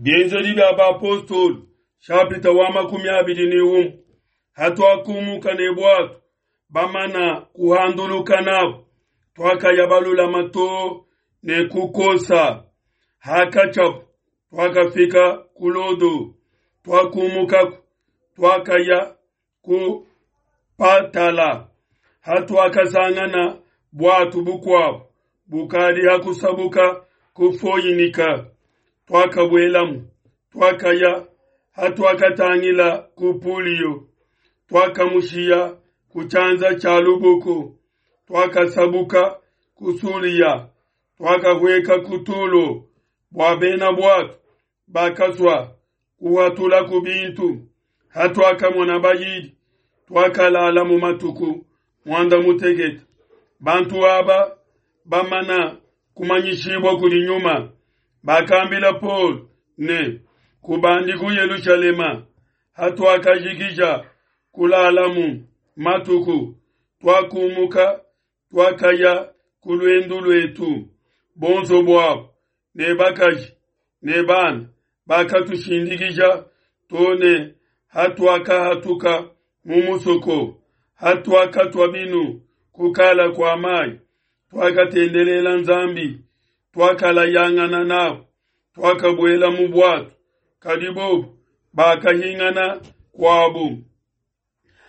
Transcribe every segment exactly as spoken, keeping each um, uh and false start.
Bienzedi bia bapostolo shapita wa makumi abidi ne umue hatuakumuka ne bwatu bamana kuhanduluka nabo twakaya balulama too ne kukosa hakachapu twakafika ku Lodo twakumukaku twakaya ku Patala hatuakasangana bwatu bukwabo bukadi hakusabuka ku Foinika twakabwelamu twakaya hatuakatangila ku Pulio twakamushiya ku chanza cha luboko twakasabuka ku Sulia twakahweka ku Tulo bwa bena bwatu bakaswa kuhatula ku bintu hatuakamona bayidi twakalala mu matuku mwanda mutekete bantu aba bamana kumanyishibwa kuli nyuma bakambila Paul ne kubandi ku Yerusalema hatuakajikija kulalamu matuku twakumuka twakaya kulwendu lwetu bonso bwabo ne bakaji ne bana bakatushindikija tone hatuakahatuka mu musoko hatuakatwa binu kukala kwa mai twakatendelela nzambi twakalayangana nabo twakabwela mu bwatu kadi bobu bakahingana kwabu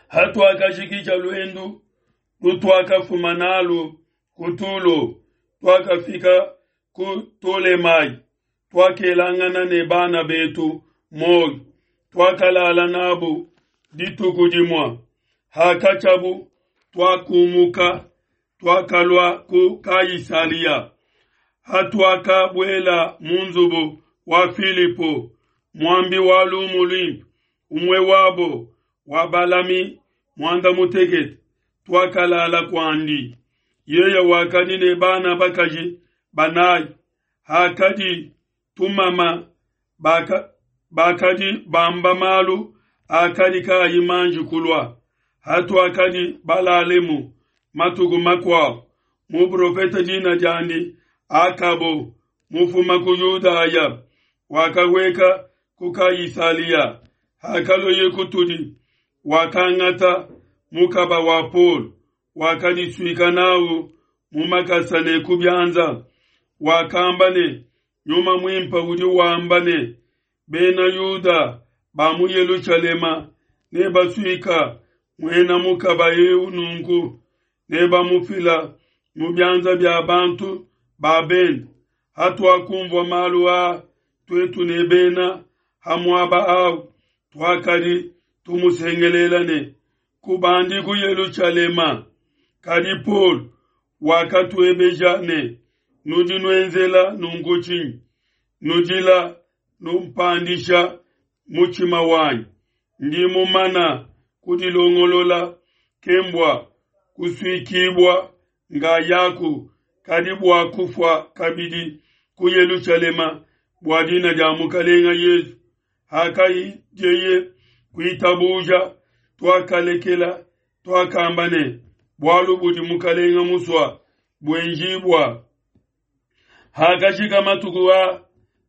hatuakashikisha lwendu lutwakafuma nalu kutulo twakafika ku Tolemai twakelangana ne bana betu moyo twakalala nabo dituku dimwa hakachabu twakumuka twakalwa ku Kaisaria hatuakabwela munzubu wa Filipo mwambi wa lumu lwimpe umwe wabo wa balami mwanda mutekete twakalala kwandi yeya wakadi ne bana bakaji banayi hakadi tumama baka, bakadi bamba malu akadi kayi manji kulwa hatuakadi balalemu matuku makwabo muprofeta jina jandi Akabo mufuma ku Yudaya wakaweka ku Kaisaria hakaloye kutudi wakangata mukaba wa Paul wakadiswika nawo mumakasa ne kubyanza wakamba ne nyuma mwimpa udi wamba ne bena Yuda ba mu Yerusalema ne baswika mwena mukaba eu nunku ne bamufila mu byanza bya bantu ba benda hatuakumvwa malu a twetu ne bena hamwaba awu twakadi tumusengelela ne kubandi ku Yerusalema kadi Paul wakatuebeja ne nudi nuenzela nunku tshinyi nudila numpandisha muchima wanyi ndi mumana kudilongolola kembwa kuswikibwa ngayaku kadi bwa kufwa kabidi ku Yerusalema bwa dina dia mukalenga Yesu hakayijeye kuitabuja twakalekela twakamba ne bwalu budi mukalenga muswa bwenjibwa hakashika matuku a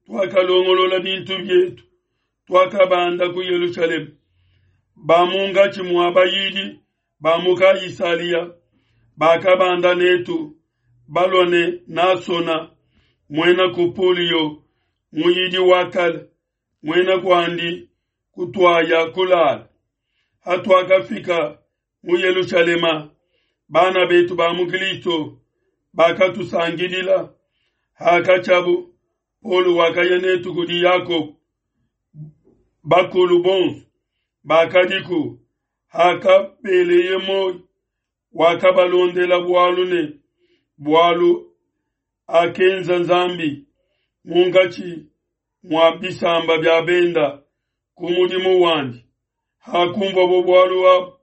twakalongolola bintu byetu twakabanda ku Yerusalemu bamungachi mwa bayidi bamuka Isalia bakabanda netu balone nasona mwena kupolio muyidi wakale mwena kwandi kutwaya kulala hatuakafika mu Yerusalema bana betu ba mu Kristo bakatusangilila hakachabu Paul wakaya netu kudi Yakobo bakulu bonso bakadiku hakabeleye moyo wakabalondela bwalu ne bwalu akenza nzambi mungachi mwa bisamba bya benda ku mudimu wandi hakumva bo bwalu abo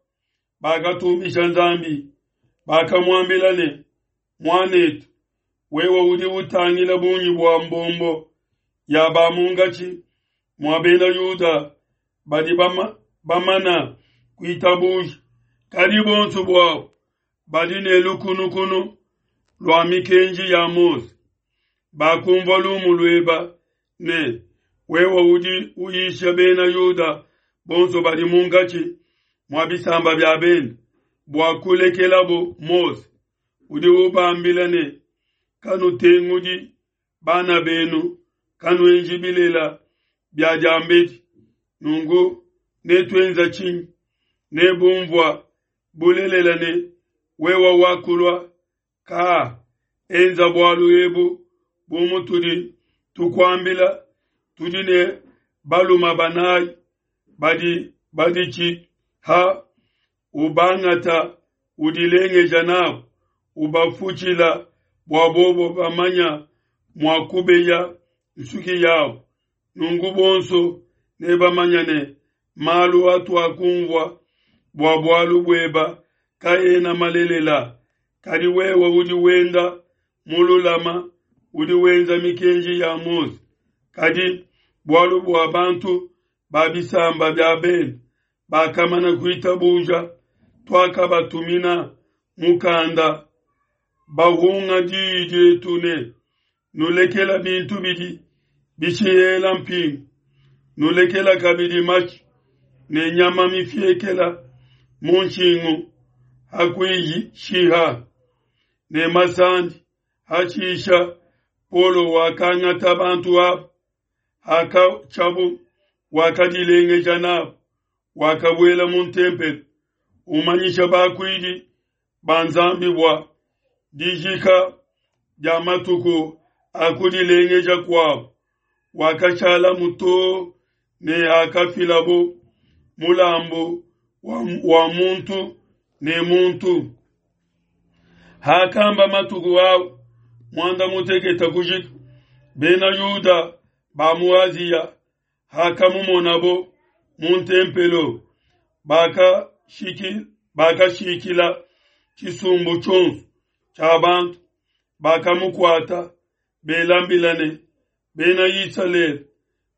bakatumbisha nzambi bakamwambila ne mwanetu wewe udi utangila bunyi bwa mbombo ya bamungachi mwa bena Yuda badi bama, bamana kuitabuja kadi bonso bwabo badi ne lukunukunu lwa mikenji ya Mose bakumva lumu lweba ne Wewe udi uyisha bena Yuda bonso badi munkatshi mua bisamba bia bende bua kulekelabo Mose. Udi ubambila ne, kanutengudi bana benu, kanuenji bilela bia diambedi. Nunku netuenza tshinyi? Nebumvua bulelela ne wewe wakulua ka enza bualu ebu bu mutudi tukuambila. Tudi ne baluma banayi badi baditshiha, ubangata udilengeja nabo, ubafutshila bua bobo bamanya mua kubeya nsuki yabo. Nunku bonso nebamanya ne malu atuakumvua bua bualu bueba kaena malelela, kadi wewe udi wenda mululama, udi wenza mikenji ya Mose. Kadi bualu bua bantu ba bisamba bia bende bakamana kuitabuja, tuakabatumina mukanda bahunga diyi dietu ne nulekela bintu bidi bishihela mpingu, nulekela kabidi mashi ne nyama mifiekela mu nshingu hakuishiha ne masandi. Hashisha Paulo wakangata bantu aba, hakatshiabu wakadilengeja nabo, wakabuela mu ntempelo umanyisha bakuidi ba Nzambi bua dijika dia matuku a kudilengeja kuabo. Wakashala too ne hakafilabo mulambu wa, wa muntu ne muntu. Hakamba matuku au muanda mutekete kujika, bena Yuda ba mu Asia hakamumonabo mu ntempelo, bakashiki bakashikila tshisumbu tshionso tshia bantu, bakamukuata belambila ne, bena Isalele,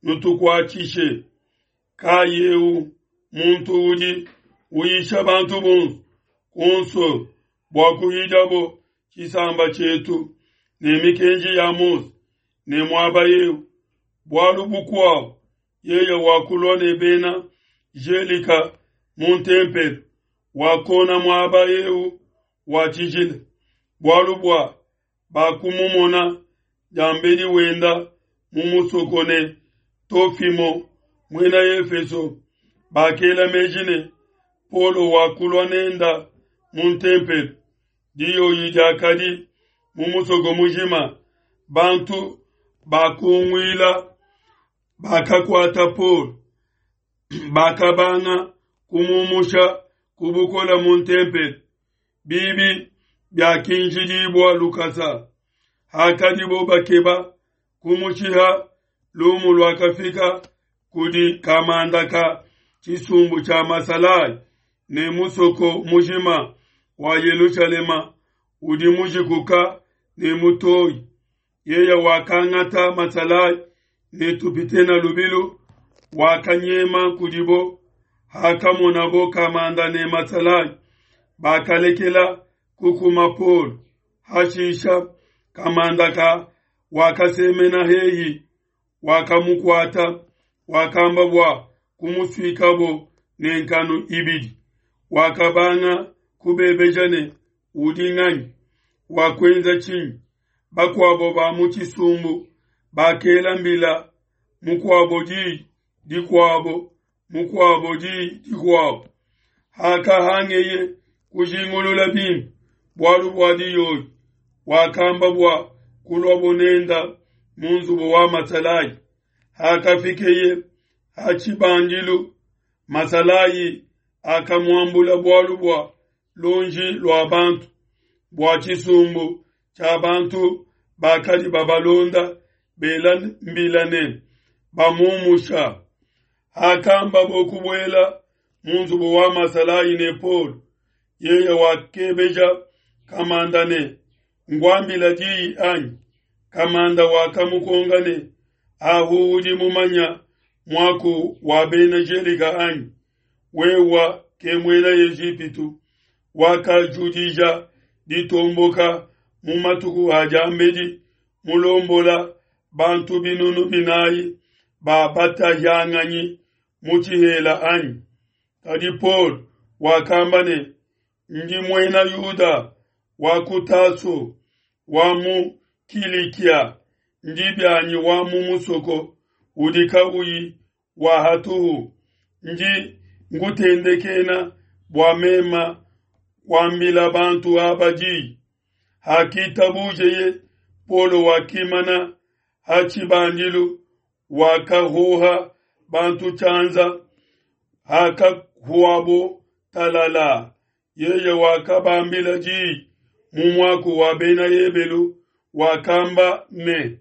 nutukuatshishe. Kayeu muntu udi uyisha bantu bonso kuonso bua kuhidabo tshisamba tshietu ne mikenji ya Mose ne muaba eu. Bualu bukuabo yeye wakulua ne bena Gelika mu ntempelo, wakona muaba eu wa tshijila, bualu bua bakumumona diambedi wenda mu musoko ne Tofimo muena Efeso. Bakela meji ne Paulo wakulua nenda mu ntempelo. Diyoyi diakadi mu musoko mujima, bantu bakunguila bakakuata Paulo, bakabanga kumumusha kubukola mu ntempelo. Bibi byakinjidibua lukasa. Hakadibo bakeba kumushiha, lumu luakafika kudi kamanda ka tshisumbu tshia masalayi ne musoko mujima wa Yelushalema udi mujikuka ne mutoyi. Yeye wakangata masalayi ne tupitena lubilu, wakanyema kudibo. Hakamonabo kamanda ne masalayi, bakalekela kukuma Paulo. Hashisha kamanda ka wakasemena heyi, wakamukuata, wakamba bua kumusuikabo ne nkanu ibidi. Wakabanga kubebeja ne, udi nganyi? Wakwenza tshinyi? Bakuabo ba mu tshisumbu bakela mbila, mukuabo diyi dikuabo, mukuabo diyi dikuabo. Hakahangeye kujingulula bimpe bualu bua diyoyi, wakamba bua kuluabo nenda mu nzubu wa masalayi. Hakafikeye ha tshibandilu, masalayi akamuambula bualu bua lonji lua bantu, bua tshisumbu tshia bantu bakadi babalonda bela mbila ne bamumusha. Hakamba bokubuela mu nzubu wa masalayi ne Paulo, yeye wakebeja kamanda ne, ngwambila diyi anyi? Kamanda wakamukonga ne, ahu udi mumanya muaku wa bena Gelika anyi? Wewa ke muena Ejipitu wakajudija ditomboka mu matuku a diambedi, mulombola bantu binunu binayi ba batahianganyi mu tshihela, anyi? Kadi Paulo wakamba ne, Ndi Muena Yuda wa ku Taso wa mu Kilikia, ndi bianyi wa mu musoko udi kauyi wa hatuhu, ndi nkutendekena bua meme kuambila bantu aba di. Hakitabujeye, Paulo wakimana ha tshibandilu, wakahoha bantu tshianza. Hakahuabo talala, yeye wakabambila di mu muaku wa Bena Ebelu, wakamba ne.